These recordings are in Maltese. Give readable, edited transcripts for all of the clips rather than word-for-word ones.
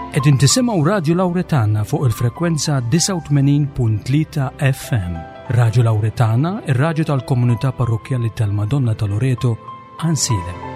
Qegħdin tisimgħu Radju Lawretana fuq il-frekwenza 89.3 FM. Radju Lawretana, ir-radju tal-komunità parrokkjali tal-Madonna ta' Loreto, Ansilem.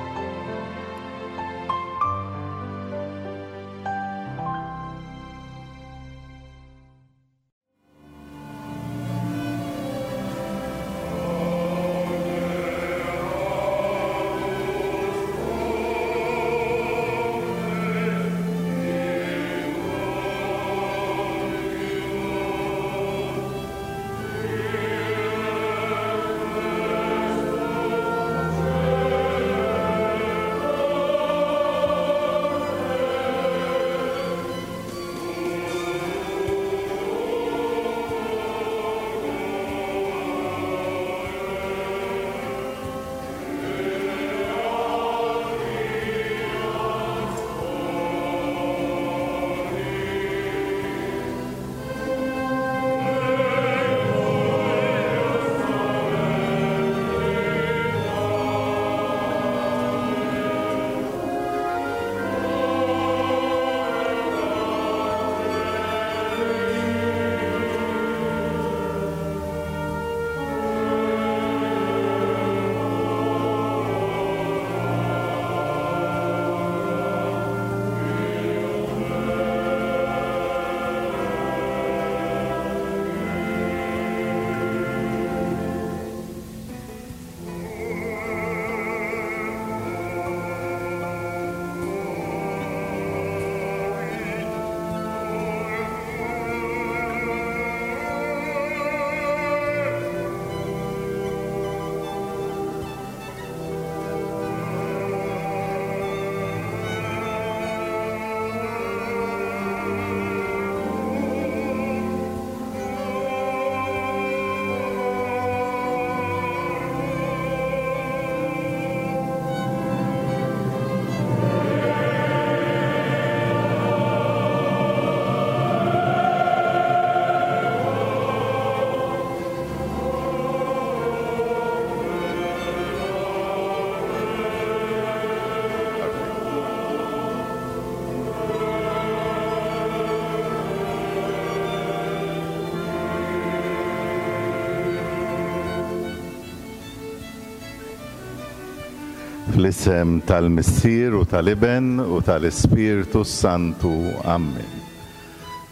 Fl-isem tal-Missier u tal-Iben u tal-Ispirtu s-Santu. Ammen.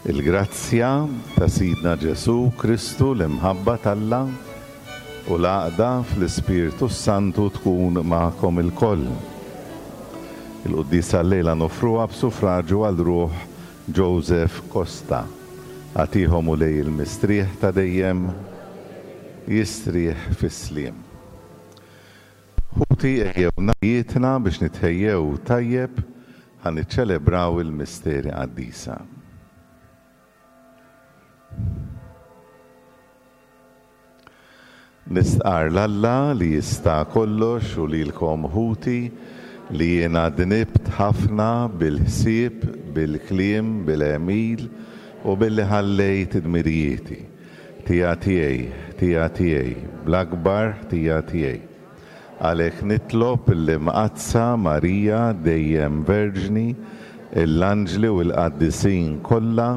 Il-grazzja ta' Sidna Ġesù Kristu, l-imħabba t'Alla, u l-għaqda fl-Ispirtu s-Santu tkun magħkom ilkoll. Il-quddiesa llejla noffruha b'sufraġju għal ruħ Joseph Costa. Agħtihom Mulej il-mistrieħ ta' dejjem, jistrieħ fis-sliem. Ħuti ejjew nagħjietna biex nitħejjew tajjeb ħa niċċelebraw il-misteri qaddisa. Nistqarr 'l Alla li jista' kollox u lilkom ħuti li jiena dnibt ħafna bil-ħsieb, bil-kliem, bil-għemil u billi ħallejt dmirijieti. Ħtija tiegħi, ħtija tiegħi, bl-akbar ħtija tiegħi. Għalhekk nitlob lill-Imqaddsa Marija dejjem Verġni, l-anġli u l-qaddisin kollha,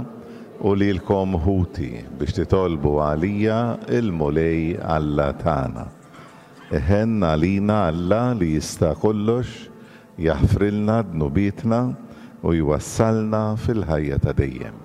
u lilkom ħuti, biex titolbu għalija l-Mulej Alla tagħna. Iħenn għalina Alla li jista' kollox, jaħfrilna dnubietna u jwassalna fil-ħajja ta' dejjem.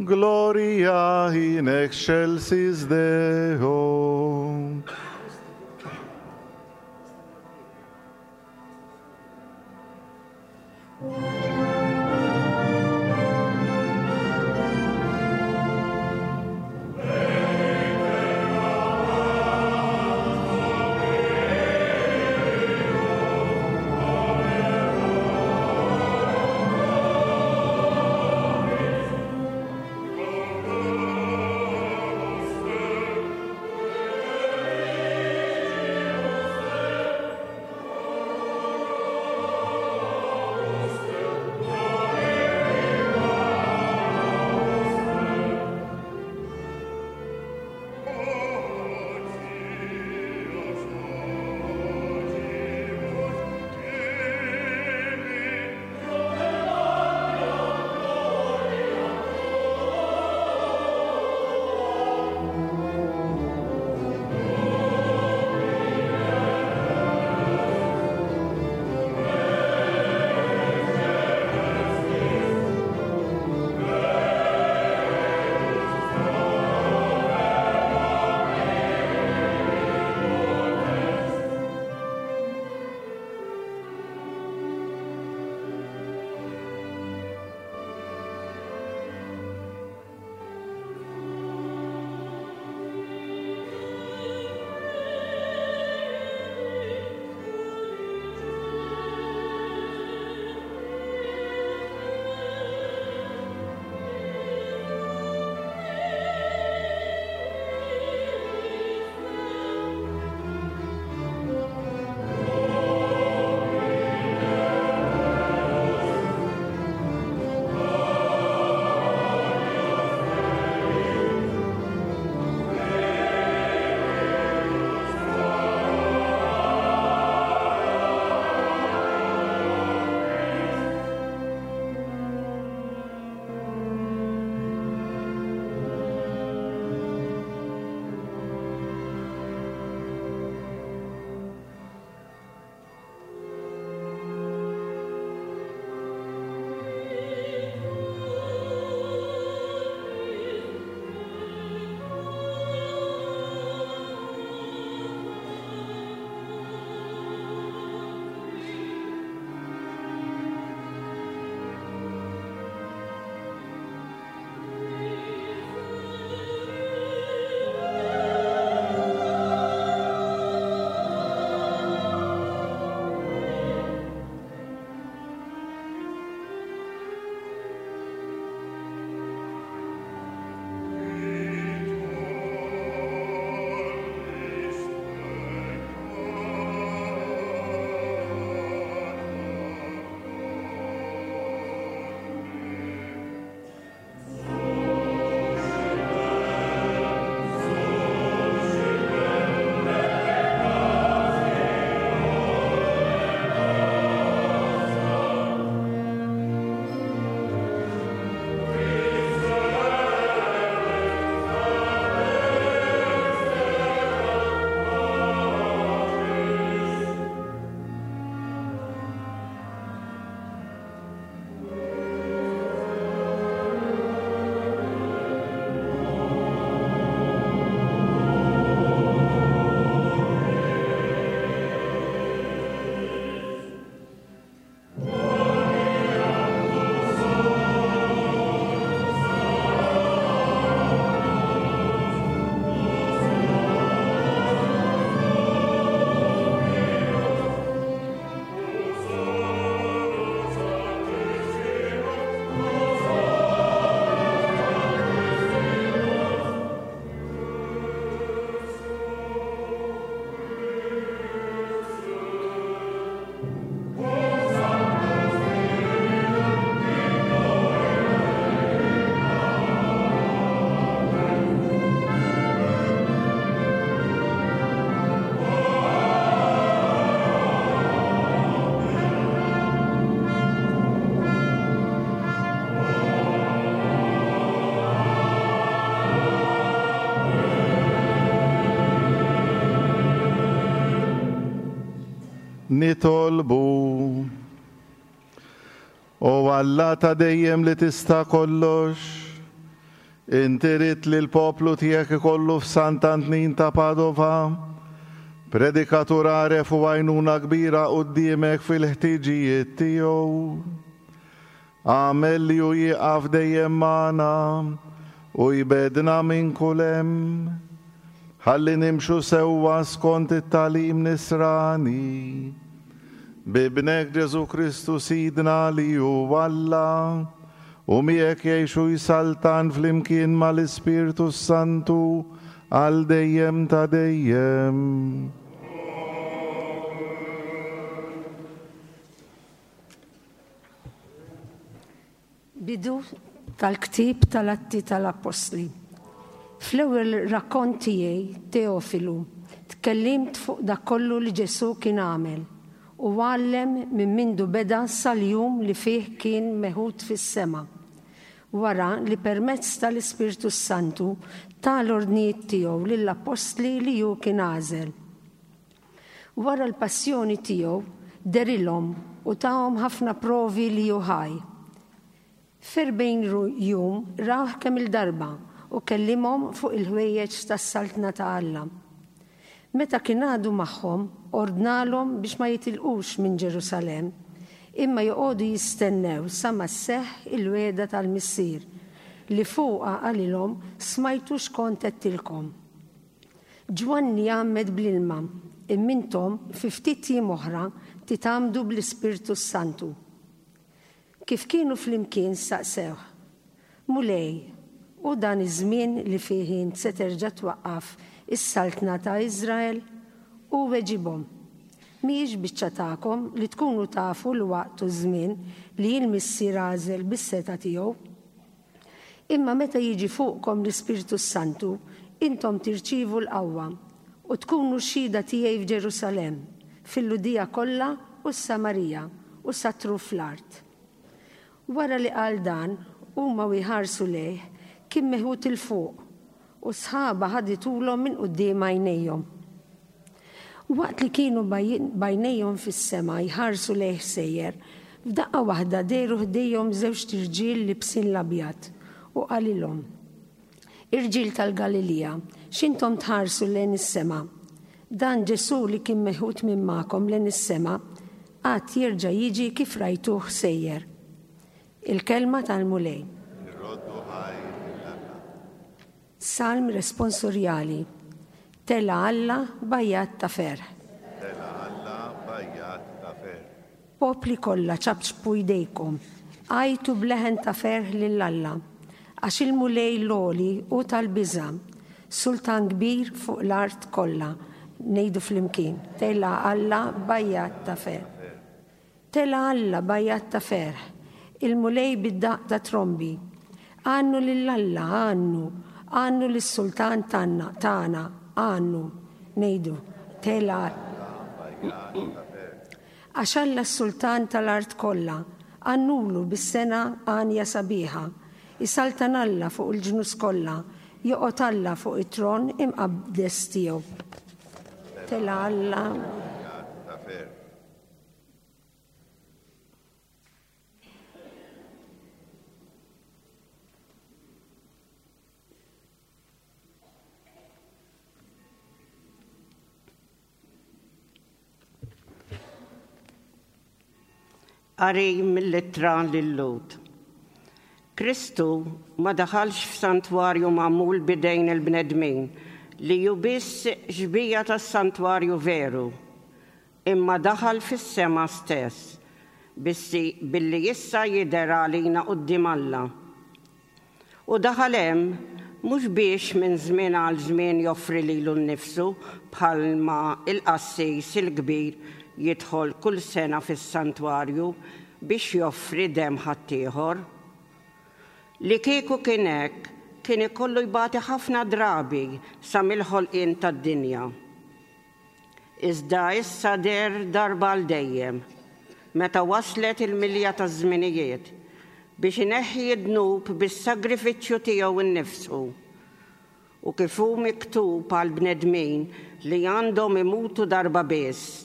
Gloria in excelsis Deo. Nitolbu. O Alla ta' dejjem li tista' kollox, Inti ridt li l-poplu tiegħek ikollu f'Sant'Antnin ta' Padova predikatur għaref u għajnuna kbira quddiemek fil-ħtiġijiet tiegħu. Agħmel li hu jieqaf dejjem magħna u jbegħdna minn kull hemm, ħalli nimxu sewwa skont it-tagħlim nisrani. B'Ibnek Ġesù Kristu Sidna li hu Alla, u miegħek jgħix u jsaltan flimkien mal-Ispirtu s-Santu għal dejjem ta' dejjem. Bidu tal-ktieb tal-Atti tal-Appostli. Fl-ewwel rakkont tiegħi, Teofilu, tkellimt fuq dak kollu li Ġesù kien għamel u għallem minn mindu beda sal-jum li fih kien meħud fis-sema, wara li permezz tal-Ispirtu s-Santu ta l-ordnijiet tiegħu lill-appostli li hu kien għażel. Wara l-passjoni tiegħu, dehrilhom u tahom ħafna provi li hu ħaj. F'erbgħin jum rawh kemm-il darba u kellimhom fuq il-ħwejjeġ tas-Saltna ta' Alla. Meta kien għadu magħhom, ordnalhom biex ma jitilqux minn Ġerusalemm, imma joqogħdu jistennew sa ma sseħħ il-wegħda tal-Missier, li fuqha qalilhom smajtu x'kont għedtilkom. Ġwanni għammed bl-ilma, imma intom fi ftit jiem oħra titgħammdu bl-Ispirtu s-Santu. Kif kienu flimkien staqsewh, Mulej, hu dan iż-żmien li fih int se terġa' twaqqaf is-saltna ta' Iżrael? Hu weġibhom, Mhijiex biċċa tagħkom li tkunu tafu l-waqt u ż-żmien li l-Missier għażel bis-setgħa tiegħu. Imma meta jiġi fuqkom l-Ispirtu s-Santu, intom tirċievu l-qawwa, u tkunu xhieda tiegħi f'Ġerusalemm, fil-Lhudija kollha u s-Samarija, u sa truf l-art. Wara li qal dan, huma u jħarsu lejh, kien meħud 'il fuq, u s-sħaba ħaditulhom minn quddiem għajnejhom. Waqt li kienu b'għajnejhom fis-sema jħarsu lejh sejjer, f'daqqa waħda dehru ħdejhom żewġt irġiel libsin l-abjad, u qalilhom, Irġiel tal-Galilija, x'intom tħarsu lejn is-sema? Dan Ġesù li kien meħud minn magħkom lejn is-sema, għad jerġa' jiġi kif rajtuh sejjer. Il-Kelma tal-Mulej. Irroddu ħajr lil Alla. Salm responsorjali, Tela' Alla b'għajjat ta' ferħ. Tela' Alla b'għajjat ta' ferħ. Popli kollha ċapċpu jdejkom, għajtu b'leħen ta' ferħ lil Alla, għax il-Mulej l-Għoli hu tal-biża', Sultan kbir fuq l-art kollha. Ngħidu flimkien, Tela' Alla b'għajjat ta' ferħ. Tela' Alla b'għajjat ta' ferħ, il-Mulej bid-daqq ta' trombi. Għannu lil Alla, għannu, għannu lis-Sultan tagħna, tagħna, għannu. Ngħidu, Tela' Alla b'għajjat ta' ferħ. Għax Alla s-Sultan tal-art kollha, għannulu bis-sengħa għanja sabiħa. Isaltan Alla fuq il-ġnus kollha, joqgħod Alla fuq it-tron imqaddes tiegħu. Tela' Alla. B'għajjat ta' ferħ. Qari mill-Ittra lil-Lhud. Kristu ma daħalx f'santwarju magħmul b'idejn il-bnedmin, li hu biss xbieha tas-santwarju veru, imma daħal fis-sema stess, bissi billi issa jidher għalina quddiem Alla. U daħal hemm mhux biex minn żmien għal żmien joffri lilu nnifsu bħalma l-qassis il-kbir jidħol kull sena fis-santwarju biex joffri demm ħaddieħor. Li kieku kien hekk, kien ikollu jbati ħafna drabi sa mill-ħolqien tad-dinja. Iżda issa deher darba għal dejjem, meta waslet il-milja taż-żminijiet, biex ineħħi d-dnub bis-sagrifiċċju tiegħu nnifsu. U kif hu miktub għall-bnedmin li għandhom imutu darba biss,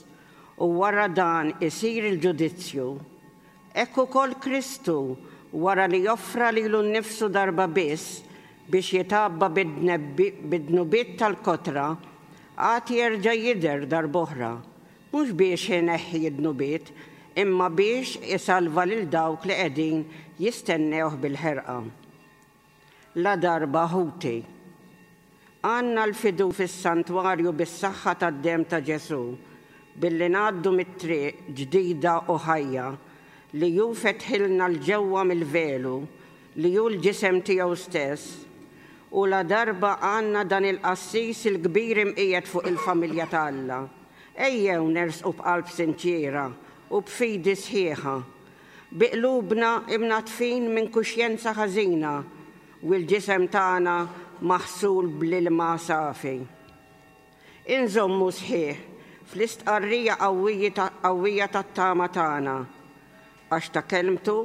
u wara dan isir il-ġudizzju, hekk ukoll Kristu, wara li offra lilu nnifsu darba biss. biex jitgħabba bid-dnubiet tal-kotra, għad jerġa' jidher darb'oħra, mhux biex ineħħi d-dnubiet, imma biex isalva lil dawk li qegħdin jistennewh bil-ħerqa. Ladarba, ħuti, għandna l-fidu fis-santwarju bis-saħħa tad-demm ta' Ġesù, billi ngħaddu mit-triq ġdida u ħajja li hu fetħilna 'l ġewwa mill-velu li hu l-ġisem tiegħu stess, u ladarba għandna dan il-qassis il-kbir imqiegħed fuq il-familja ta' Alla, ejjew nersqu b'qalb sinċiera u b'fidi sħiħa Bi qlubna imnaddfin minn kuxjenza ħażina u l-ġisem tagħna maħsul bl-ilma safi. Inżommu sħiħ fl-istqarrija qawwija tat-tama tagħna, għax ta' kelmtu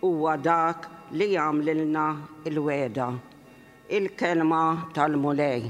huwa dak li għamlilna l-wegħda. Il-Kelma tal-Mulej.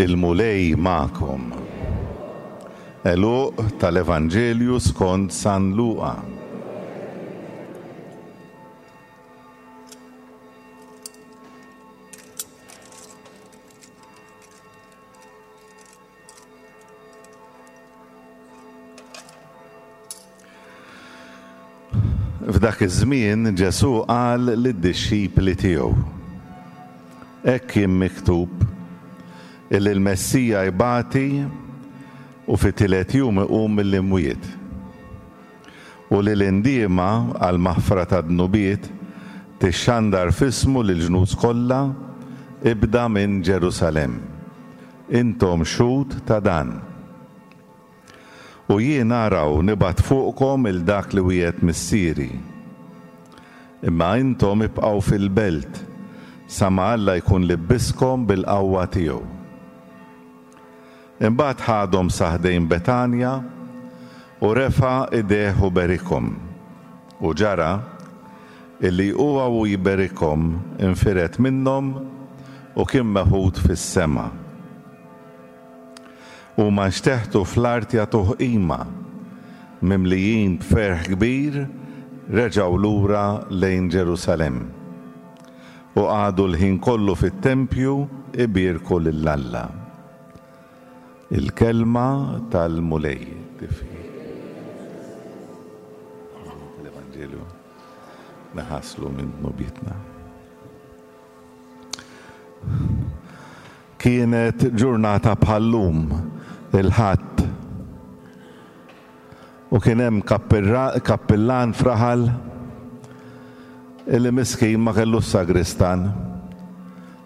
Il-Mulej magħkom. Għeluq tal-Evanġelju skont San Luqa. F'dak iż-żmien Ġesù qal lid-dixxipli tiegħu, Hekk kien miktub illi l-Messija jbati u fit-tielet jum iqum mill-imwiet, u li l-indiema għall-maħfra tad-dnubiet tixxandar f'ismu lill-ġnus kollha, ibda minn Ġerusalemm. Intom xhud ta' dan. U jien araw nibgħat fuqkom 'il dak li wiegħed Missieri. Imma intom ibqgħu fil-belt sa ma Alla jkun libbiskom bil-qawwa tiegħu. Imbagħad ħadhom sa ħdejn Betanja u refa' idejh u berikhom. U ġara, illi huwa u jberikhom infired minnhom u kien meħud fis-sema. Huma nxteħtu fl-art jagħtuh qima, mimlijin b'ferħ kbir reġgħu lura lejn Ġerusalemm. U qagħdu l-ħin kollu fit-tempju ibierku lil Alla. Il-Kelma tal-Mulej. Tal-Evanġelju neħaslu minn dnubietna. Kienet ġurnata bħal-lum, il-Ħadd. U kien hemm kappillan f'raħal illi miskin ma kellux sagristan.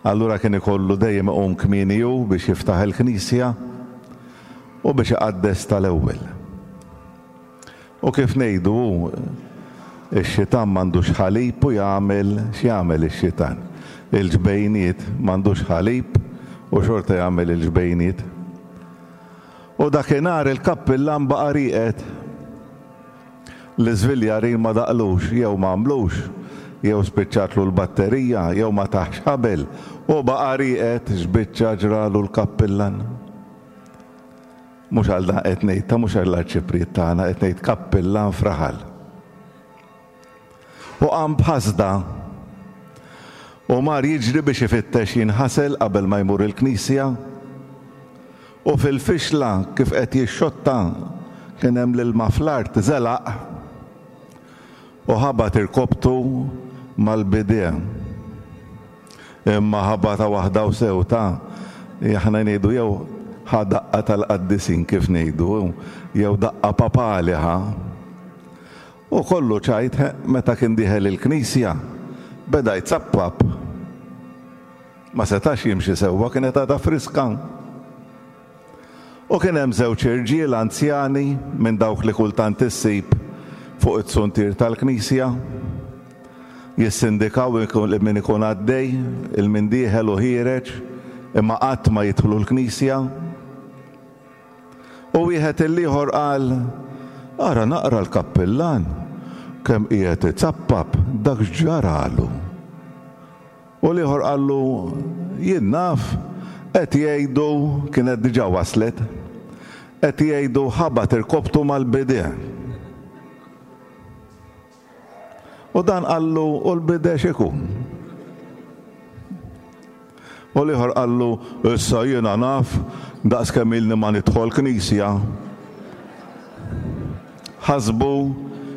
Allura kien ikollu dejjem iqum kmieni hu biex jiftaħ il-knisja u biex iqaddes tal-ewwel. U kif ngħidu hu, ix-xitan m'għandux ħalib u jagħmel x'jagħmel ix-xitan. Il-ġbejniet m'għandux ħalib u xorta jagħmel il-ġbejniet. U dakinhar il-kappillan baqa' rieqed. L-iżviljarin ma daqlux, jew ma għamlux, jew spiċċatlu l-batterija, jew ma tahx ħabel, u baqa' rieqed, x'biċċa ġralu l-kappillan. Mhux għal dan qed ngħid, ta' mhux għall-arċipriet tagħna, qed ngħid kappillan f'raħal. U qam b'ħasda u mar jiġri biex ifittex jinħasel qabel ma jmur il-knisja. U fil-fixla kif qed jixxotta kien hemm l-ilma fl-art żelaq u ħabat irkobtu mal-bidea. Imma ħabata waħda u sew ta' aħna ngħidu jew ħa daqqa tal-qaddisin kif ngħidu, jew daqqa papali ħa. U kollu ċajt meta kien dieħel il-knisja, beda jzappap. Ma setax jimxi sewwa kienet għadha friska. U kien hemm żewġ irġiel anzjani minn dawk li kultant issib fuq it-suntier tal-knisja, jissindikaw 'il min ikun għaddej, 'il min dieħel u ħiereġ, imma qatt ma jidħlu l-knisja. U wieħed lill-ieħor qal, Ara naqra l-kappillan, kemm qiegħed izappap, dak x'ġaralu? U l-ieħor qallu, Jien naf, qed jgħidu, kienet diġà waslet, qed jgħidu ħabat irkobtu mal-bidea. U dan qallu, u l-bidè x'ikun? U l-ieħor qallu, issa jiena naf daqs kemm ilni ma nidħol knisja. Ħasbu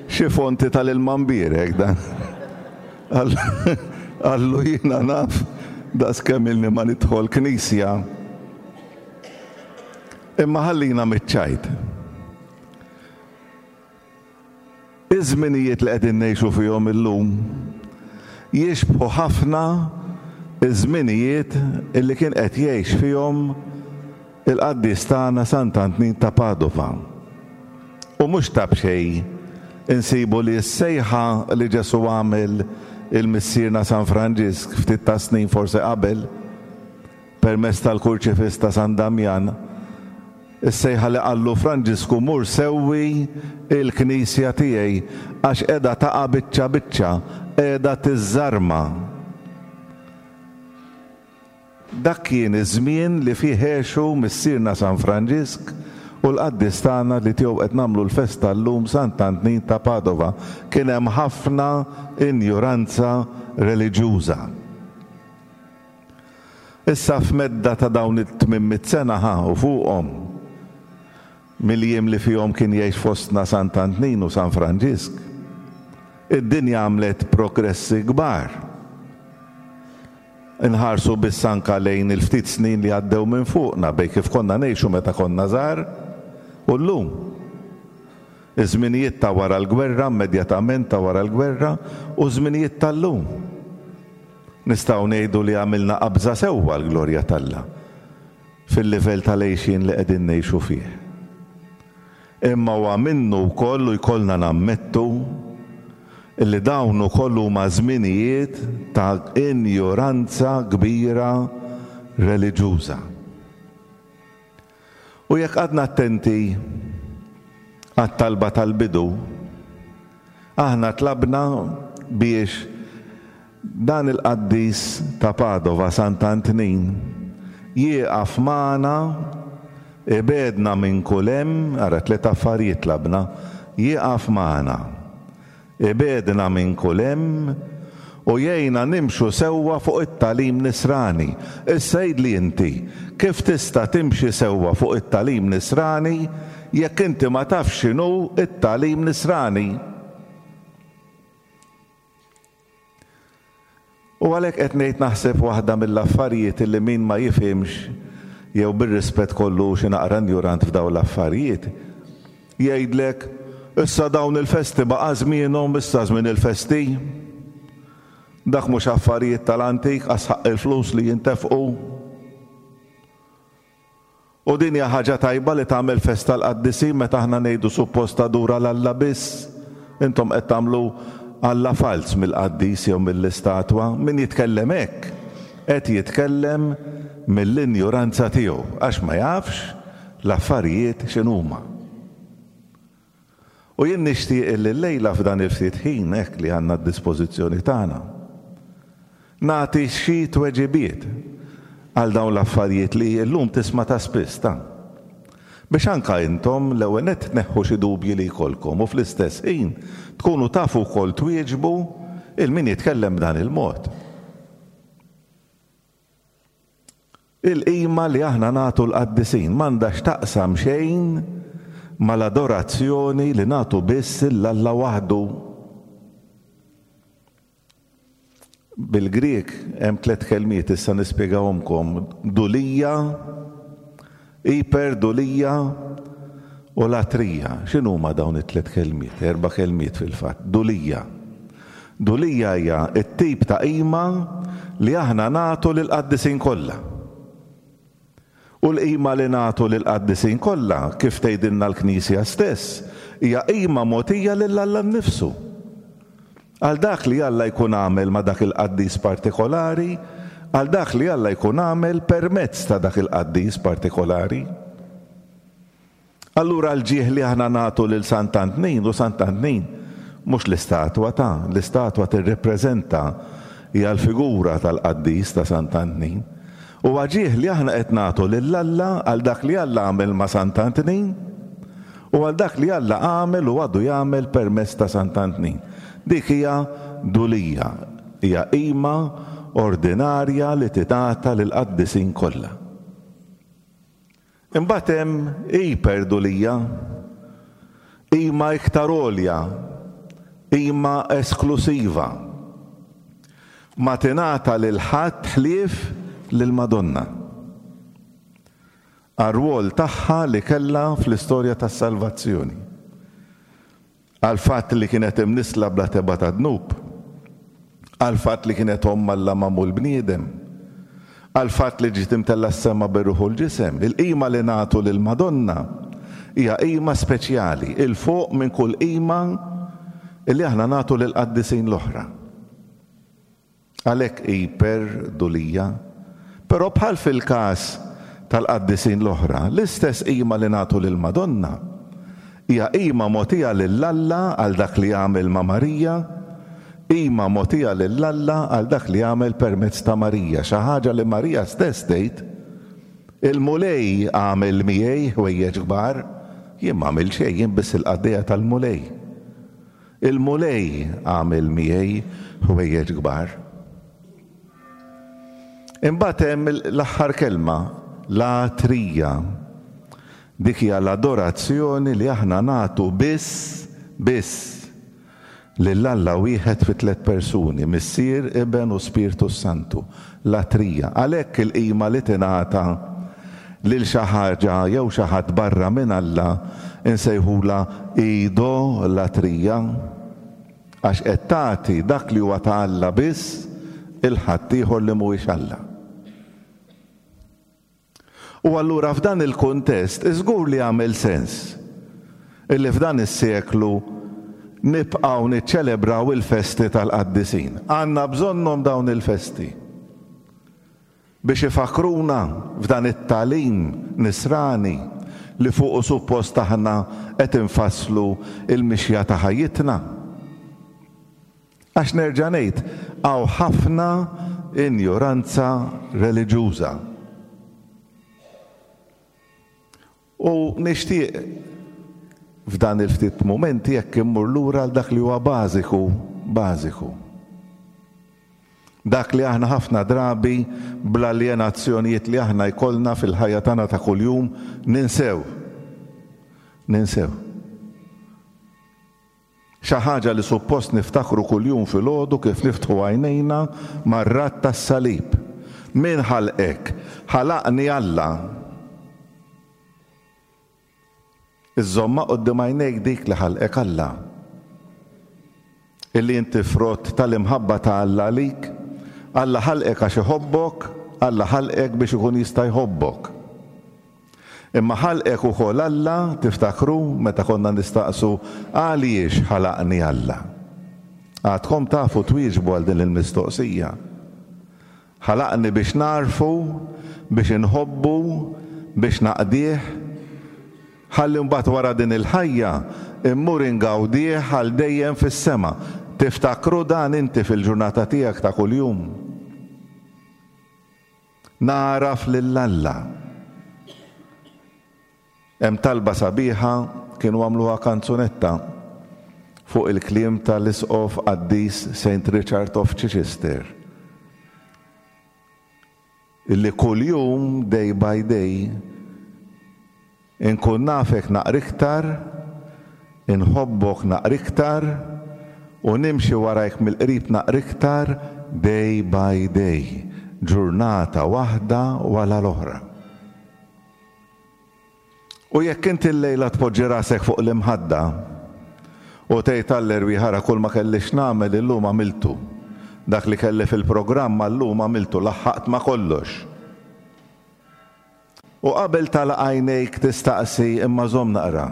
xi fonti tal-ilma mbierek dan. Qallu jiena naf daqs kemm ilni ma nidħol knisja. Imma ħallina miċ-ċajt. Iż-żminijiet li qegħdin ngħixu fihom illum jixbħu ħafna ż-żminijiet li kien qed jgħix fihom il-qaddis tagħna Sant'Antnin ta' Padova. U mhux ta' b'xejn insibu li s-sejħa li Ġesù għamel 'il missierna San Franġisk ftit tas-snin forsi qabel, permezz tal-Kurċifiss ta' San Damjan, Is-sejħa li qallu Franġisku mur sewwi il-knisja tiegħi għax qiegħda taqa' biċċa biċċa, qiegħda tiżżarma. Dak kien iż-żmien li fih għexu missierna San Franġisk u l-qaddis tagħna li tiegħu qed nagħmlu l-festa llum Sant'Antnin ta' Padova. Kien hemm ħafna injuranza reliġjuża. Issa f'medda ta' dawn it-800 sena ħa u fuqhom, mill-jiem li fihom kien jgħix fostna Sant'Antnin u San Franġisk, id-dinja għamlet progressi kbar. Inħarsu biss anka lejn il-ftit snin li għaddew minn fuqna bejn kif konna ngħixu meta konna żgħar u llum. Iż-żminijiet ta' wara l-gwerra, immedjatament ta' wara l-gwerra, u ż-żminijiet tal-lum. Nistgħu ngħidu li għamilna qabża sewwa għall-glorja t'Alla fil-livell tal-għixien li qegħdin ngħixu fih. Imma huwa minnu wkoll u jkollna nammettu illi dawn ukoll huma żminijiet ta' injoranza kbira reliġjuża. U jekk qgħadna attenti għat-talba tal-bidu, aħna tlabna biex dan il-qaddis ta' Padova, Sant'Antnin, jieqaf magħna, ibegħedna minn kull hemm, ara tlett affarijiet tlabna, jieqaf magħna, ibegħedna minn kull hemm u jgħinna nimxu sewwa fuq it-tagħlim nisrani. Issa għidli inti, kif tista' timxi sewwa fuq it-tagħlim nisrani jekk inti ma tafx x'inhu t-tagħlim nisrani? U għalhekk qed ngħid naħseb waħda mill-affarijiet li min ma jifhimx jew bir-rispett kollu hu xi naqra injurant f'dawn l-affarijiet, jgħidlek, issa dawn il-festi baqa' żmienhom, issa żmien il-festi. Dak mhux affarijiet tal-antik, qas ħaqq il-flus li jintefqu. U din hija ħaġa tajba li tagħmel festa l-qaddisin meta aħna ngħidu suppost tadura 'l Alla biss? Intom qed tagħmlu Alla falz mill-qaddis jew mill-istatwa. Min jitkellem hekk qed jitkellem mill-injuranza tiegħu għax ma jafx l-affarijiet x'inhuma. U jien nixtieq illi llejla f'dan il-ftit ħin hekk li għandna d-dispożizzjoni tagħna, nagħti xi tweġibiet għal dawn l-affarijiet li llum tisma' ta' spiss ta'. Biex anka intom l-ewwel nett tneħħu xi dubji li jkollkom u fl-istess ħin tkunu tafu wkoll twieġbu 'il min jitkellem b'dan il-mod. Il-qima li aħna nagħtu l-qaddisin m'għandha x'taqsam xejn mal-adorazzjoni li nagħtu biss 'l Alla waħdu. Bil-Grieg hemm tlett kelmiet issa nispjegahomkom, dulija, iperdulija u latrija. X'inhuma dawn it-tlett kelmiet? Erba' kelmiet fil-fatt. Dulija. Dulija hija t-tip ta' qima li aħna nagħtu lill-qaddisin kollha. U l-qima li nagħtu lill-qaddisin kollha, kif tgħidilna l-Knisja stess, hija qima mogħtija lil Alla nnifsu. Għal dak li Alla jkun għamel ma' dak il-qaddis partikolari, għal dak li Alla jkun għamel permezz ta' dak il-qaddis partikolari. Allura l-ġieħ li aħna nagħtu lil Sant'Antnin, u Sant'Antnin mhux l-istatwa ta', l-istatwa tirrippreżenta, hija l-figura tal-qaddis ta' Sant'Antnin. Huwa ġieħ li aħna qed nagħtu lil Alla għal dak li Alla għamel ma' Sant'Antnin, U għal dak li Alla għamel u għadu jagħmel permezz ta' Sant'Antnin. Dik hija dulija, hija qima ordinarja li tingħata lill-qaddisin kollha. Imbagħad hemm iperdulija, qima iktar għolja, qima esklusiva. Ma tingħata lil ħadd ħlief lill-Madonna. Għar-rwol tagħha li kellha fl-istorja tas-salvazzjoni. Għall-fatt li kienet imnissla bla tebgħa ta' dnub. Għall-fatt li kienet Omm Alla magħmul bniedem. Għall-fatt li ġiet imtellgħa s-sema bir-ruħ u l-ġisem. Il-qima li nagħtu lill-Madonna hija qima speċjali, 'il fuq minn kull qima li aħna nagħtu lill-qaddisin l-oħra. Għalhekk hi perdulija. Però bħal fil-każ tal-qaddisin l-oħra, l-istess qima li nagħtu lill-Madonna hija qima mogħtija lil Alla għal dak li għamel ma' Marija, qima mogħtija lil Alla għal dak li għamel permezz ta' Marija, xi ħaġa li Marija stess tgħid, Il-Mulej għamel miegħi ħwejjeġ kbar, jien m'għamilt xejn, jien biss il-qaddejja tal-Mulej. Il-Mulej għamel miegħi ħwejjeġ kbar. Imbagħad hemm l-aħħar kelma, latrija. Dik hija l-adorazzjoni li aħna nagħtu biss, biss, lil Alla wieħed fi tlett persuni, Missier, Iben u Spirtu s-Santu. Latrija. Għalhekk il-qima li tingħata lil xi ħaġa jew xi ħadd barra minn Alla nsejħulha idolatrija, għax qed tagħti dak li huwa ta' Alla biss 'il ħaddieħor li mhuwiex Alla. U allura f'dan il-kuntest żgur li jagħmel sens. Illi f'dan is-seklu nibqgħu niċċelebraw il-festi tal-qaddisin. Għandna bżonnhom dawn il-festi biex ifakkruna f'dan it-tagħlim nisrani li fuqu suppost aħna qed infasslu l-mixja ta' ħajjitna. Għax nerġa' ngħid, hawn ħafna injoranza reliġjuża. U nixtieq f'dan il-ftit mumenti jekk immur lura għal dak li huwa bażiku, bażiku. Dak li aħna ħafna drabi bl-aljenazzjonijiet li aħna jkollna fil-ħajja tagħna ta' kuljum ninsew. Ninsew. Xi ħaġa li suppost niftakru kuljum filgħodu kif niftħu għajnejna mar-radd tas-salib. Min ħalqek? Ħalaqni Alla. Iżżommha quddiem għajnejk dik li ħalqek Alla. Illi inti frott tal-imħabba ta' Alla għalik. Alla ħalqek għax iħobbok, Alla ħalqek biex ikun jista' jħobbok. Imma ħalqek ukoll Alla, tiftakru meta konna nistaqsu għaliex ħalaqni Alla? Għadkom tafu twieġbu għal din il-mistoqsija. Ħalaqni biex nagħrfu, biex inħobbu, biex naqdih, ħalli mbagħad wara din il-ħajja mmur ingawdih għal dejjem fis-sema. Tiftakru dan inti fil-ġurnata tiegħek ta' kuljum? Nagħraf lil Alla. Hemm talba sabiħa kienu għamluha kanzunetta fuq il-kliem tal-Isqof qaddis Saint Richard of Chichester illi kuljum day by day Inkun nafek naqra iktar, inħobbok naqra iktar, u nimxi warajk mill-qrib naqra iktar day by day, ġurnata waħda wara l-oħra. U jekk inti llejla tpoġġi rasek fuq l-imħadda u tgħid għall-erwieħ ara kull ma kelli x'nagħmel illum għamiltu, dak li kelli fil-programm għal-lum għamiltu, laħħaqt ma' kollox. U qabel tagħlaq għajnejk tistaqsi imma żomm naqra.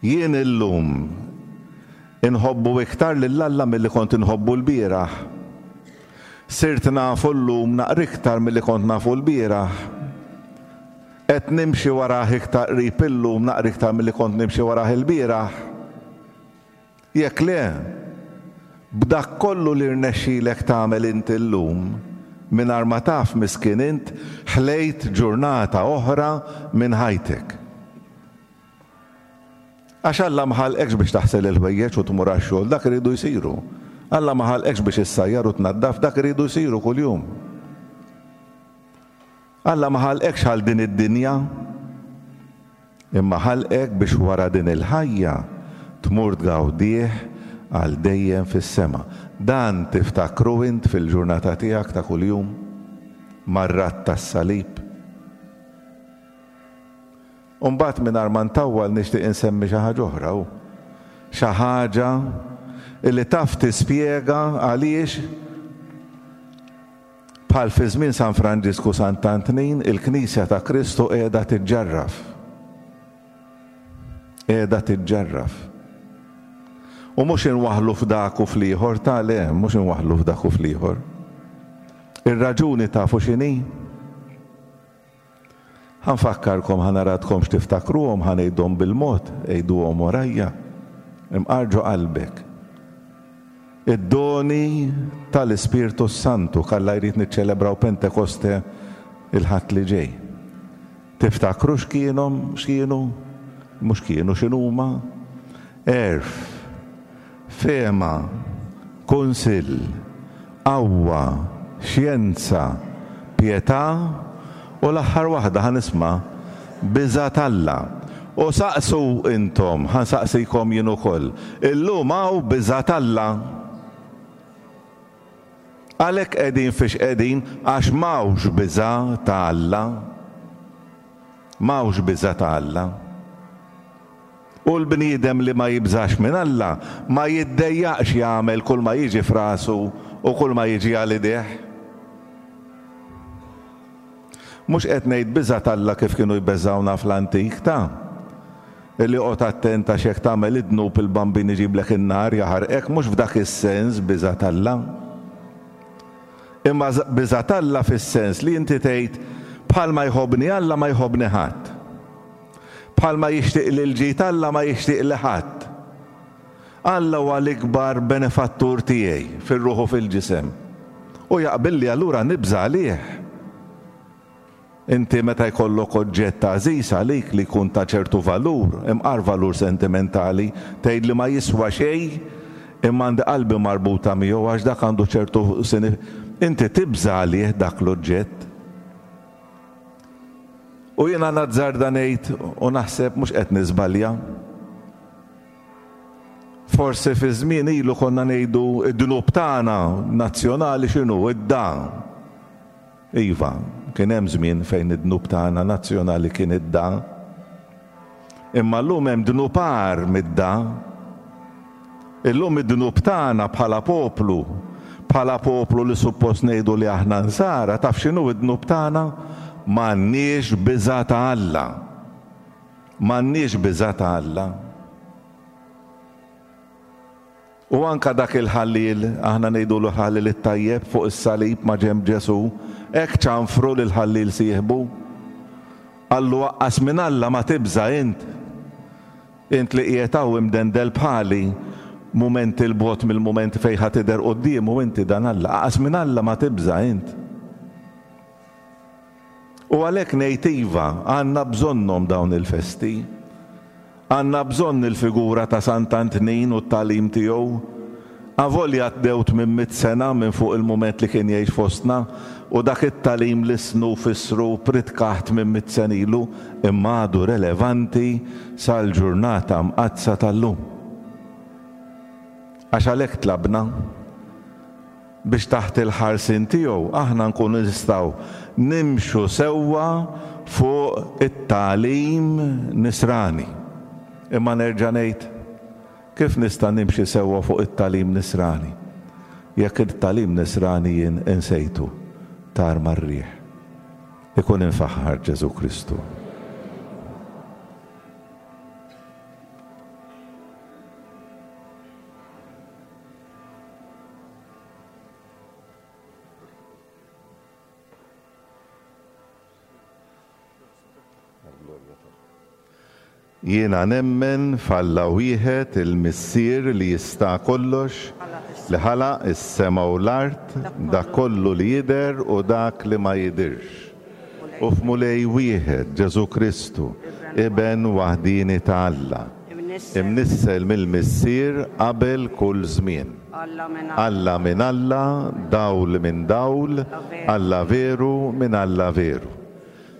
Jien illum inħobbu iktar lil Alla milli kont inħobbu lbieraħ? Sirt nafu llum naqra iktar milli kont nafu lbieraħ? Qed nimxi warah iktar qrib illum naqra iktar milli kont nimxi warah ilbieraħ? Jekk le, b'dak kollu li rnexxilek tagħmel int illum, mingħajr ma taf miskin int, ħlejt ġurnata oħra minn ħajtek. Għax Alla ma ħalqekx biex taħsel il-ħwejjeġ u tmur għax-xogħol, dak iridu jsiru. Alla ma ħalqekx biex issajjar u tnaddaf, dak iridu jsiru kuljum. Alla ma ħalqekx għal din id-dinja, imma ħalqek biex wara din il-ħajja tmur tgawdih għal dejjem fis-sema. Dan tiftakru int fil-ġurnata tiegħek ta' kuljum mar-radd tas-salib? U mbagħad mingħajr ma ntawwal nixtieq insemmi xi ħaġa oħra, hu xi ħaġa li taf tispjega għaliex Bħal fi żmien San Franġisku u Sant'Antnin, il-Knisja ta' Kristu qiegħda tiġġarraf. Qiegħda tiġġarraf. U mhux inwaħħlu f'dak u fl-ieħor, ta' le, mhux inwaħħlu f'dak u fl-ieħor. Ir-raġuni tafu x'inhi? Ħa nfakkarkom, ħa naradkomx tiftakruhom, ħa ngħidhom bil-mod, għiduhom warajja. Imqar ġo qalbek. Id-doni tal-Ispirtu s-Santu, k'Alla jrid niċċelebraw Pentekoste il-Ħadd li ġej. Tiftakru x'kienhom, x'kienu? Mhux kienu, x'inhuma? Għerf. Fehma, kunsill, qawwa, xjenza, pietà, u l-aħħar waħda ħa nisma', biża' t'Alla. U saqsu intom, ħa nsaqsikom jien ukoll, illum hawn biża' t'Alla? Għalhekk qegħdin fiex qegħdin għax m'hawnx biża' ta' Alla. M'hawnx biża' ta' Alla. U l-bniedem li ma jibżax minn Alla ma jiddejjaqx jagħmel kulma jiġi f'rasu u kulma jiġi għal idejh. Mhux qed ngħid biża' t'Alla kif kienu jbeżżgħuna fl-antik, ta. Illi oqgħod attent għax jekk tagħmel id-dnub il-Bambin iġiblek in-nar jaħarqek mhux f'dak is-sens biża' t'Alla. Imma biża' t'Alla fis-sens li inti tgħid bħalma jħobbni Alla ma jħobbni ħadd. Bħalma jixtieqli l-ġid Alla ma jixtieqli ħadd. Alla huwa l-ikbar benefattur tiegħi fir-ruħ u fil-ġisem. U jaqbilli allura nibża' għalih. Inti meta jkollok oġġett għażiż għalik li jkun ta' ċertu valur, imqar valur sentimentali, tgħid li ma jiswa xejn imma għandi qalbi marbuta miegħu għax dak għandu ċertu inti tibża' għalih dak l-oġġett. U jiena nazzarda ngħid u naħseb mhux qed niżbalja. Forsi fi żmien ilu konna ngħidu d-dnub tagħna nazzjonali x'inhu? Id-da. Iva, kien hemm żmien fejn id-dnub tagħna nazzjonali kien id-da. Imma llum hemm dnub agħar mid-da. Illum id-dnub tagħna bħala poplu, bħala poplu li suppost ngħidu li aħna Nsara, taf x'inhu d-dnub tagħna? M'għandniex biża' ta' Alla. M'għandniex biża' ta' Alla. U anke dak il-ħalliel, aħna ngħidulu l-ħalliel it-tajjeb fuq is-salib ma' ġenb Ġesù, hekk ċanfru lill-ħalliel sieħbu. Qallu aqqas minn Alla ma tibża' int. Int li qiegħed hawn imdendel bħali, mument 'il bogħod mill-mument fejn ħa tidher quddiemu inti dan Alla, aqqas minn Alla ma tibża' int. U għalhekk ngħid iva, għandna bżonnhom dawn il-festi. Għandna bżonn il-figura ta' Sant'Antnin u t-tagħlim tiegħu. Avolja għaddew 800 sena minn fuq il-mument li kien jgħix fostna u dak it-tagħlim lissnu u fissru u ppritkah 800 sena ilu, imma għadu relevanti sal-ġurnata mqaddsa tal-lum. Għax għalhekk tlabna. biex taħt il-ħarsien tiegħu aħna nkunu nistgħu nimxu sewwa fuq it-tagħlim nisrani. Imma nerġa' ngħid, kif nista' nimxi sewwa fuq it-tagħlim nisrani jekk it-tagħlim nisrani jien insejtu, tar mar-riħ? Ikun imfaħħar Ġesù Kristu. Jiena nemmen f'Alla wieħed, il-Missier li jista' kollox, li ħalaq is-sema u l-art, dak kollu li jidher u dak li ma jidhirx. U f'Mulej wieħed, Ġesù Kristu, Iben waħdieni ta' Alla, imnissel mill-Missier qabel kull żmien. Alla minn Alla, dawl minn dawl, Alla veru minn Alla veru.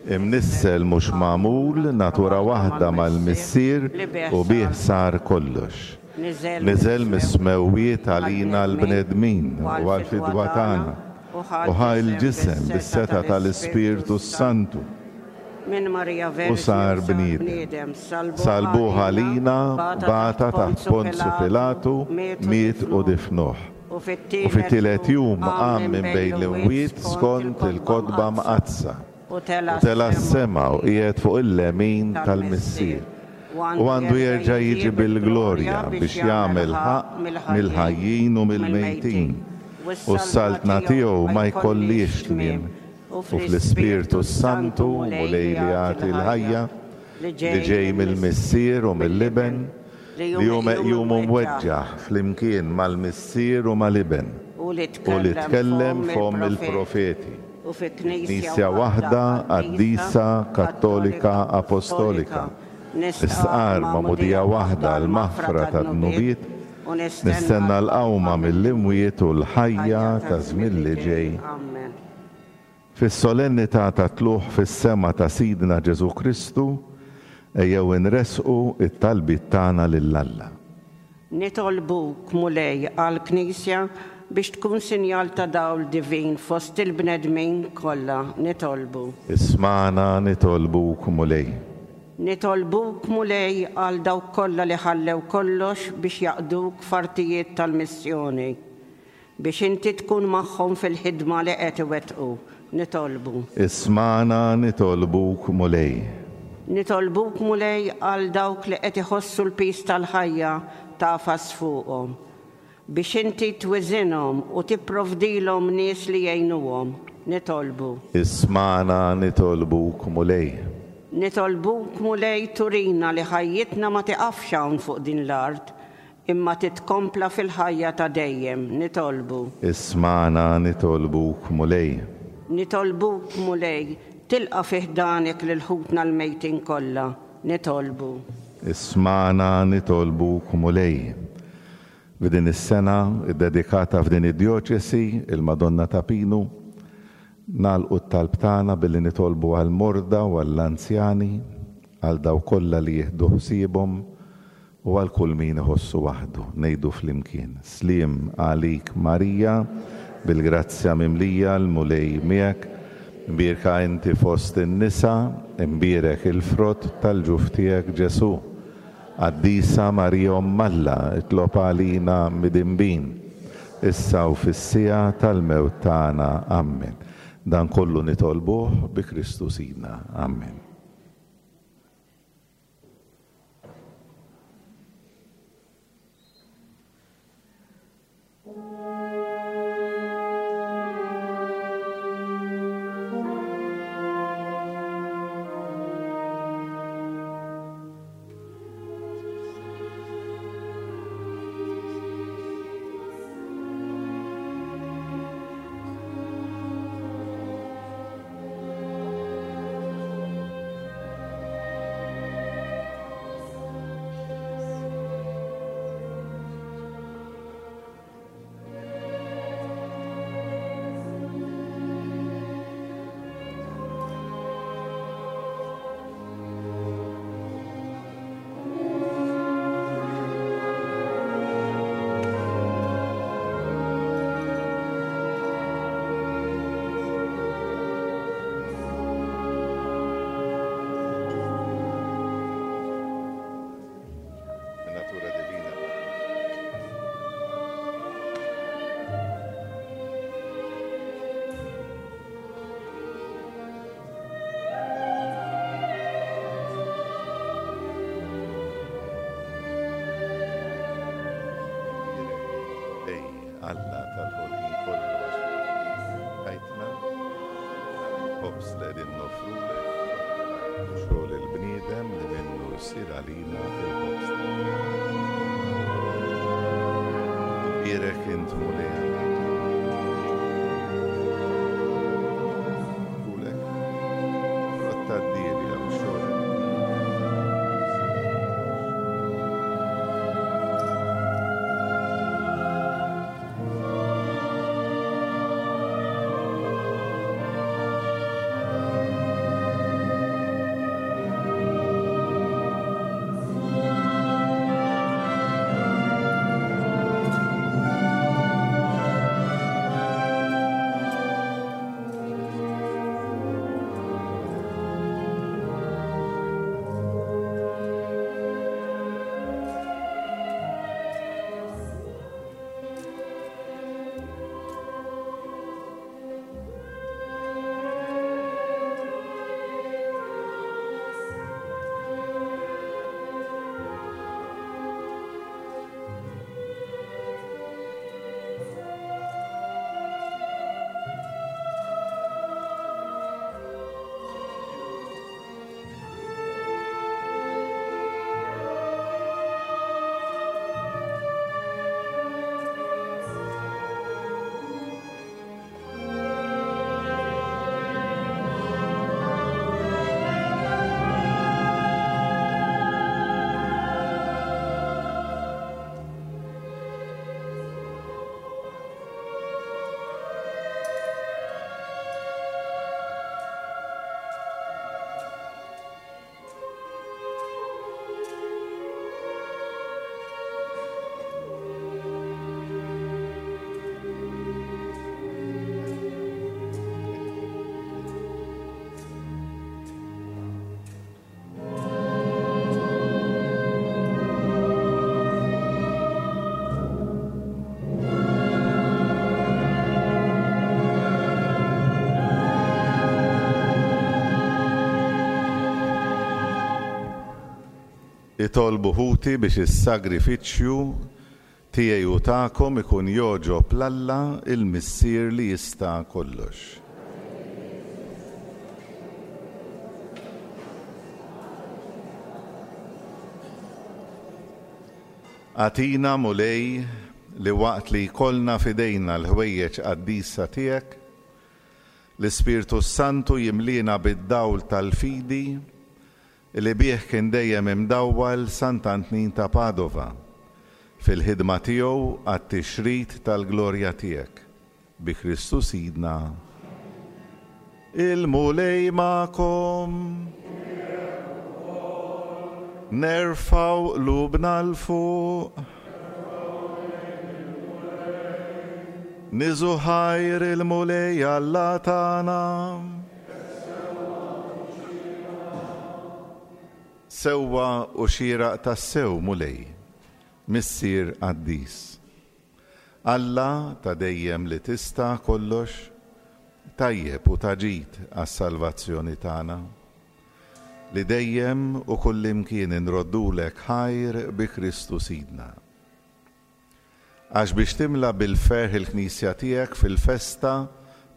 Imnissel mhux magħmul, natura waħda mal-Missier u bih sar kollox. Niżel mis-smewwiet għalina l-bnedmin u għall-fidwa tagħna, u ħa l-ġisem bis-setgħa tal-Ispirtu s-Santu. U sar bniedem. Sallbuh għalina, bata taħt Ponzju Pilatu, miet u difnuh. U fit-tielet jum qam minn bejn l-imwiet skont il-Kotba Mqaddsa. U tela' s-sema u qiegħed fuq il-lemin tal-Missier. U għandu jerġa' jiġi bil-glorja biex jagħmel ħaqq mill-ħajjin u mill-mejtin. U s-saltna tiegħu ma jkollhiex tmiem. U fl-Ispirtu s-Santu, Mulej li jagħti l-ħajja, li ġej mill-Missier u mill-Iben, li hu meqjum u mweġġaħ flimkien mal-Missier u mal-Iben, u li tkellem f'fomm il-profeti, u fi Knisja waħda, qaddisa, kattolika, apostolika, nistqarr magħmudija waħda għall-maħfra tad-dnubiet, nistenna l-qawma mill-imwiet u l-ħajja taż-żmien li ġej. Fis-solennità tat-Tlugħ fis-Sema ta' Sidna Ġesù Kristu, ejjew inressqu t-talbiet tagħna lil Alla. Nitolbuk, Mulej, għall-Knisja biex tkun sinjal ta' dawl divin fost il-bnedmin kollha. Nitolbu. Ismagħna, nitolbuk, Mulej. Nitolbuk, Mulej, għal dawk kollha li ħallew kollox biex jaqduk f'artijiet tal-missjoni. Biex inti tkun magħhom fil-ħidma li qed iwettqu. Nitolbu. Ismagħna nitolbuk, Mulej. Nitolbuk Mulej għal dawk li qed iħossu l-piż tal-ħajja tagħfas fuqhom, biex inti twiżinhom u tipprovdilhom nies li jgħinuhom. Nitolbu. Ismagħna nitolbuk Mulej. Nitolbuk Mulej turina li ħajjitna ma tiqafx hawn fuq din l-art, imma titkompla fil-ħajja ta' dejjem. Nitolbu. Ismagħna nitolbuk Mulej. Nitolbuk Mulej, tilqa' fi ħdanek lil ħutna l-mejtin kollha. Nitolbu. Ismagħna nitolbuk Mulej. F'din is-sena ddedikata f'din id-djoċesi, il-Madonna ta' Pinu, nagħlqu t-talb tagħna billi nitolbu għall-morda u għall-anzjani, għal dawk kollha li jieħdu ħsiebhom, U għal kull min iħossu waħdu, ngħidu flimkien, Sliem għalik Marija, bil-grazzja mimlija, l-Mulej miegħek, imbierka inti fost in-nisa, imbierek il-frott tal-ġuf tiegħek Ġesù. Qaddisa Marija Omm Alla, itlob għalina midinbin, issa u fis-siegħa tal-mewt tagħna. Ammen. Dan kollu nitolbuh bi Kristu Sidna. Ammen. Min-natura divina. Ej, Alla tal-ħolqien kollu għax tajtna ħobż li qegħdin noffrulek xogħol il-bniedem li minnu jsir għalina il-ħobż. Imbierek int Mulej Alla. Kulek frott tad-dielja u xogħol Itolbu ħuti biex is-sagrifiċċju tiegħi u tagħkom ikun jogħġob 'l Alla il-Missier li jista' kollox. Agħtina, Mulej, li waqt li jkollna f'idejna l-ħwejjeġ qaddisa tiegħek, l-Ispirtu s-Santu jimliena bid-dawl tal-fidi li bih kien dejjem imdawwal Sant'Antnin ta' Padova fil-ħidma tiegħu għat-tixrid tal-glorja tiegħek. Bi Kristu Sidna. Il-Mulej magħkom. Nerfgħu qlubna 'l fuq. Niżu ħajr il-Mulej Alla tagħna. Sewwa u xieraq tassew, Mulej, Missier qaddis. Alla ta' dejjem li tista' kollox, tajjeb u ta' ġid għas-salvazzjoni tagħna, li dejjem u kullimkien inroddulek ħajr bi Kristu Sidna. Għax biex timla bil-ferħ il-Knisja tiegħek fil-festa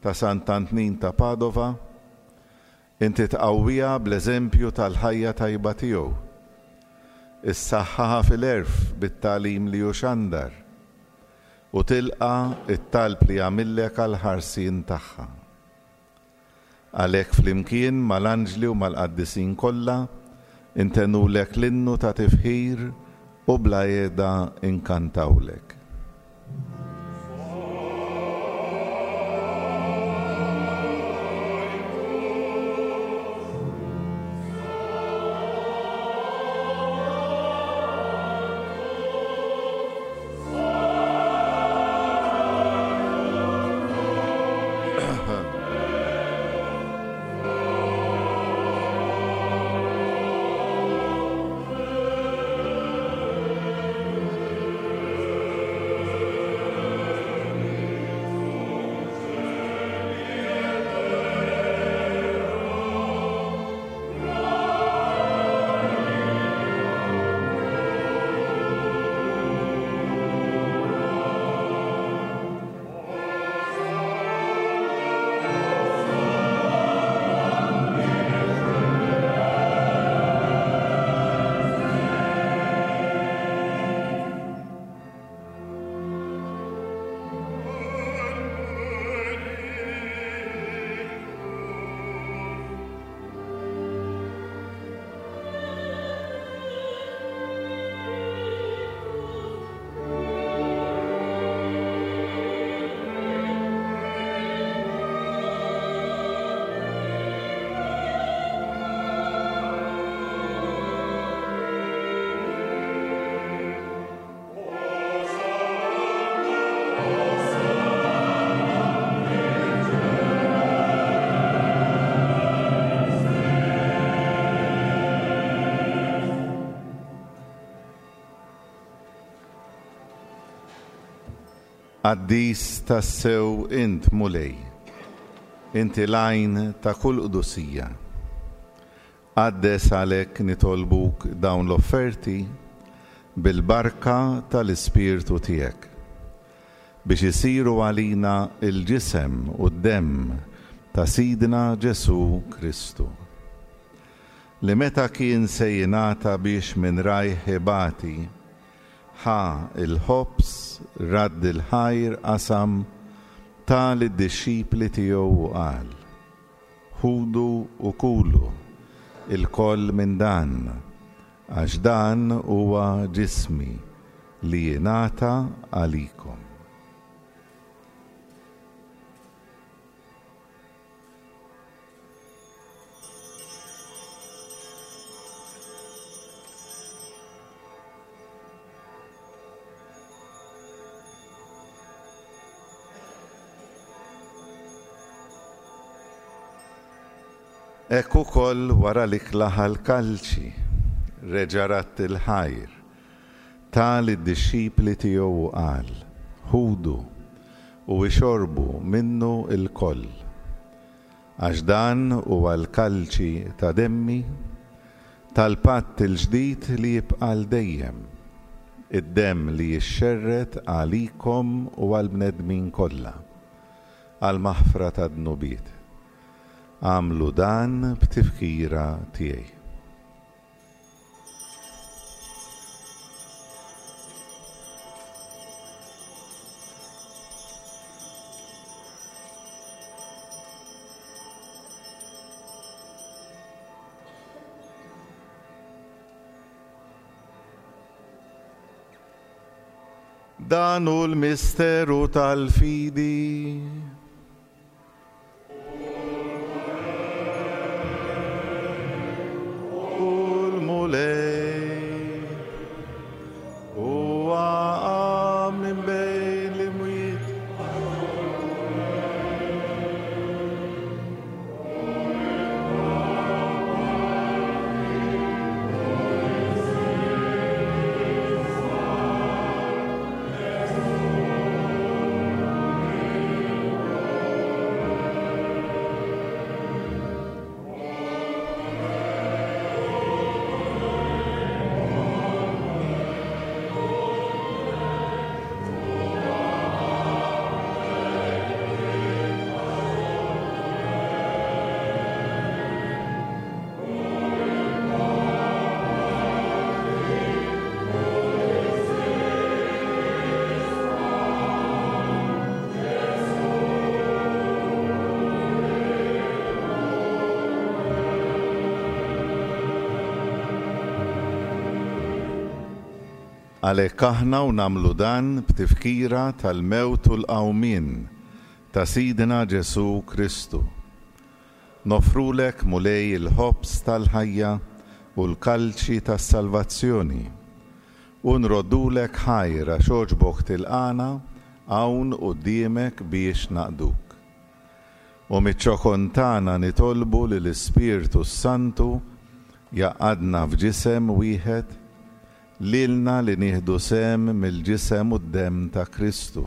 ta' Sant'Antnin ta' Padova, inti tqawwiha bl-eżempju tal-ħajja tajba tiegħu, issaħħaha fil-għerf bit-tagħlim li hu xandar, u tilqa' t-talb li jagħmillek għall-ħarsien tagħha. Għalhekk flimkien mal-anġli u mal-qaddisin kollha ntennulek l-innu ta' tifħir u bla qiegħda nkantawlek. Qaddis tassew int, Mulej, inti l-għajn ta' kull qdusija. Qaddes għalhekk nitolbuk dawn l-offerti bil-barka tal-Ispirtu tiegħek, biex isiru għalina l-ġisem u d-demm ta' Sidna Ġesù Kristu, li meta kien se jingħata biex minn rajh ibati, ħa l-ħobż, radd il-ħajr, qasam, ta lid-dixxipli tiegħu u qal, Ħudu u kulu ilkoll minn dan, għax dan huwa ġismi li jingħata għalikom. Hekk ukoll wara l-ikla ħa l-kalċi, reġa' radd il-ħajr, ta lid-dixxipli tiegħu u qal, Ħudu u ixorbu minnu lkoll. Għax dan huwa l-kalċi ta' demmi, Tal-patt il-ġdid li jibqa' għal dejjem, id-demm li jixxerred għalikom u għall-bnedmin kollha, għall-maħfra tad-dnubiet. Agħmlu dan b'tifkira tiegħi. Dan hu l-misteru tal-fidi. U l-Mulej huwa qam minn bejn l-imwiet. Għalhekk aħna u nagħmlu dan b'tifkira tal-mewt u l-qawmien ta' Sidna Ġesù Kristu. Noffrulek, Mulej, il-ħobż tal-ħajja u l-kalċi tas-salvazzjoni, u nroddulek ħajr għax għoġbok tilqagħna hawn quddiemek biex naqduk. U miċ-ċokon tagħna nitolbu li l-Ispirtu s-Santu jgħaqqadna f'ġisem wieħed, lilna li nieħdu sehem mill-ġisem u d-demm ta' Kristu.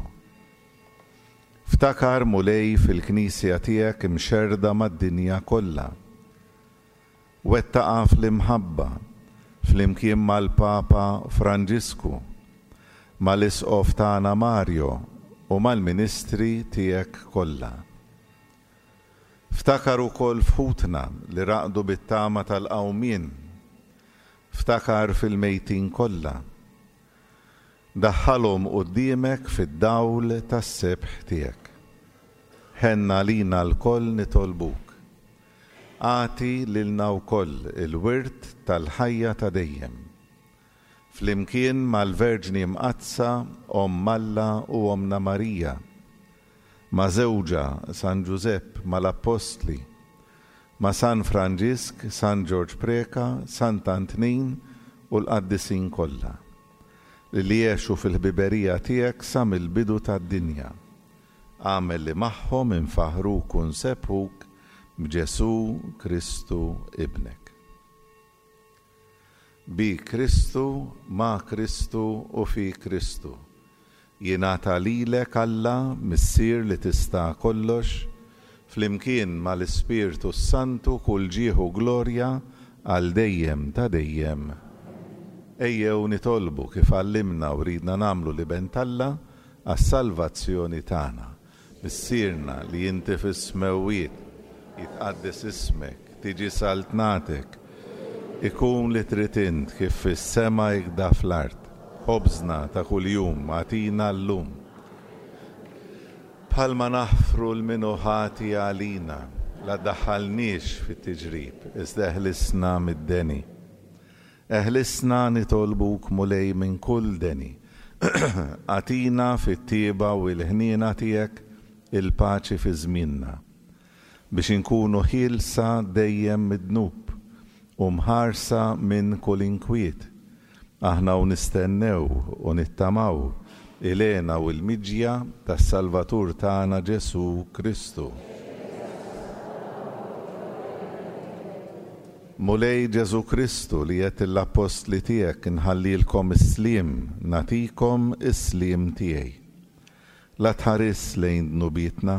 Ftakar, Mulej, fil-Knisja tiegħek imxerrda mad-dinja kollha. Wettaqha fl-imħabba, flimkien mal-Papa Franġisku, mal-Isqof tagħna Mario u mal-ministri tiegħek kollha. Ftakar ukoll f'ħutna li raqdu bit-tama tal-qawmien. Ftakar fil-mejtin kollha. Daħħalhom quddiemek fid-dawl tas-sebħ tiegħek. Ħenn għalina lkoll nitolbuk. Agħti lilna wkoll il-wirt tal-ħajja ta' dejjem. Flimkien mal-Verġni Mqaddsa Omm Alla u Ommna Marija, ma' żewġha San Ġużepp, mal-Appostli, ma' San Franġisk, San Ġorġ Preca, Sant'Antnin u l-qaddisin kollha, li għexu fil-ħbiberija tiegħek sa mill-bidu tad-dinja. Agħmel li magħhom infaħħruk u nsebbħuk b'Ġesù Kristu Ibnek. Bi Kristu, ma' Kristu u fi Kristu. Jingħata lilek, Alla, Missier li tista' kollox, flimkien ma' l-Ispirtu s-Santu kull ġieħ u glorja għal dejjem ta' dejjem. Ejjew nitolbu kif għallimna u ridna nagħmlu l-Iben t'Alla għas-salvazzjoni tagħna. Missierna li inti fis-smewwiet, jitqaddes ismek, tiġi saltnatek, ikun li trid int kif fis-sema ikda fl-art. Ħobżna ta' kuljum agħtina llum. Bħalma naħfru 'l min hu ħati għalina, la ddaħħalniex fit-tiġrib, iżda eħlisna mid-deni. Eħlisna nitolbuk Mulej minn kull deni. Agħtina fit-tjieba u l-ħniena tiegħek il-paċi fi żmienna, biex inkunu ħielsa dejjem mid-dnub u mħarsa minn kull inkwiet, aħna u nistennew u nittamaw il-hena u l-miġja tas-Salvatur tagħna Ġesù Kristu. Mulej Ġesù Kristu li għedt lill-appostli tiegħek inħallilkom is-sliem, nagħtikom is-sliem tiegħi. La tħarisx lejn dnubietna,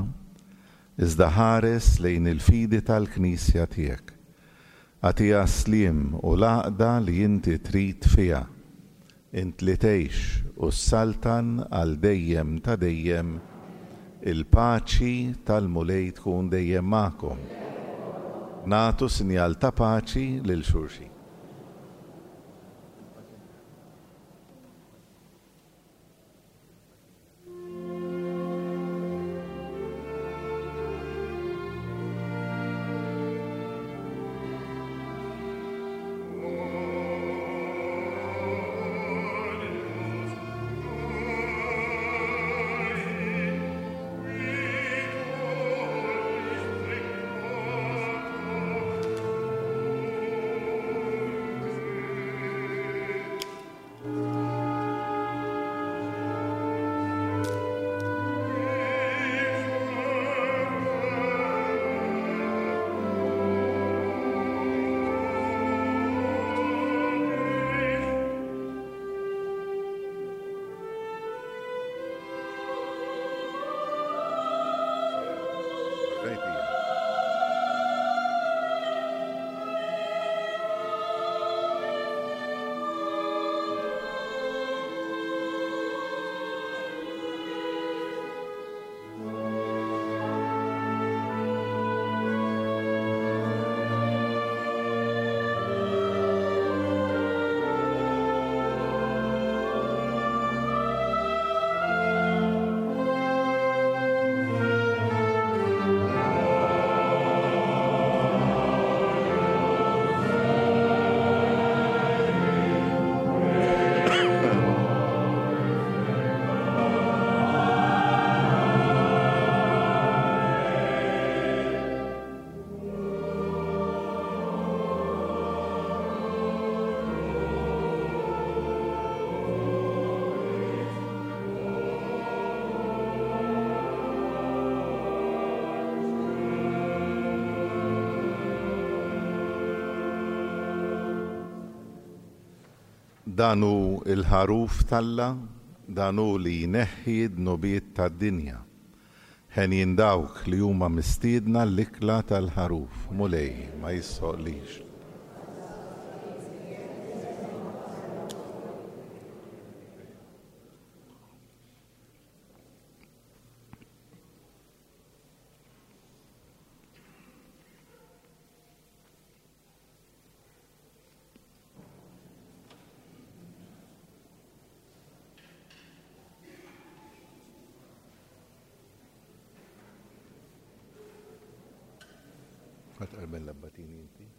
iżda ħares lejn il-fidi tal-Knisja tiegħek. Agħtiha s-sliem u l-għaqda li inti trid fiha. Int li tgħix u ssaltan għal dejjem ta' dejjem, il-paċi tal-Mulej tkun dejjem magħkom. Nagħtu sinjal ta' paċi lil xulxin. Dan hu l-Ħaruf t'Alla, dan hu li jneħħi d-dnubiet tad-dinja. Henjin dawk li huma mistiedna l-ikla tal-Ħaruf. Mulej, ma jistħoqqlix. Ħa tqarben l-abbatini inti?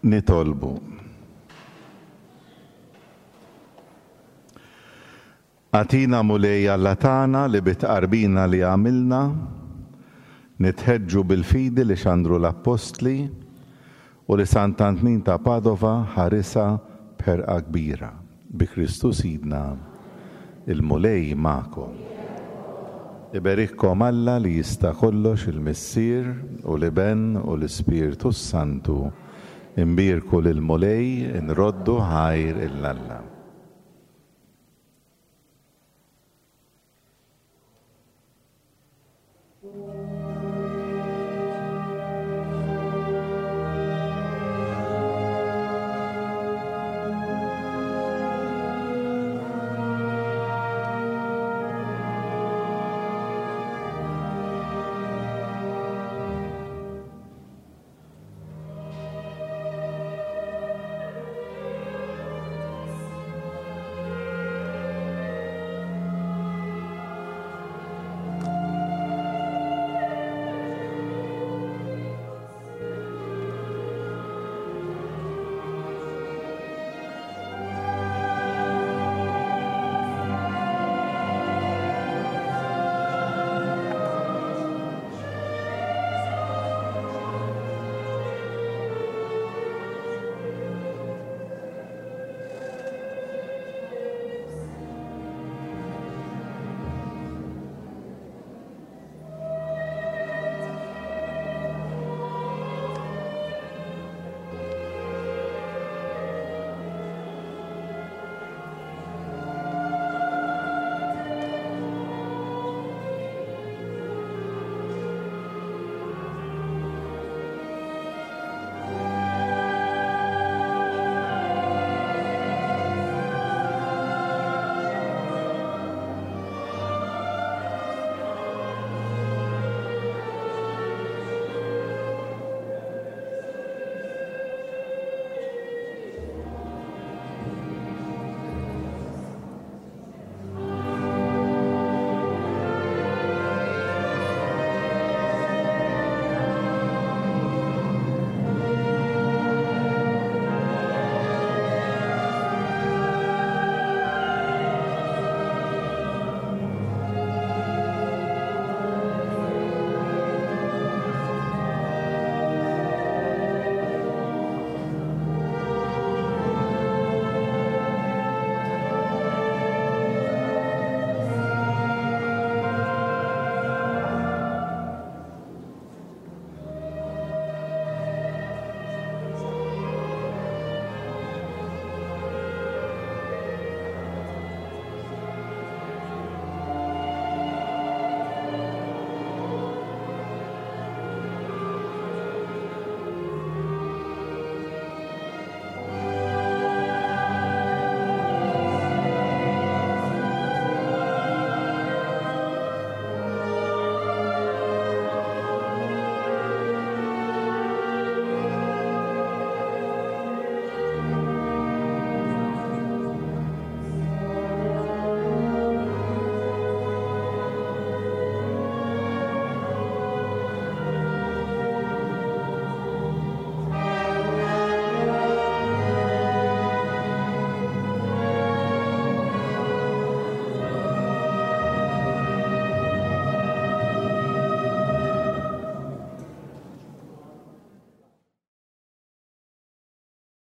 Nitolbu. Agħtina Mulej Alla tagħna li bit-tqarbina li għamilna nitħeġġu bil-fidi li xandru l-Appostli u li Sant'Antnin ta' Padova ħarisha b'ħerqa kbira. Bi Kristu Sidna. Il-Mulej magħkom. Iberikkom Alla li jista' kollox il-Missier u l-Iben u l-Ispirtu s-Santu. Inbierku lill-Mulej, inroddu ħajr 'il Alla.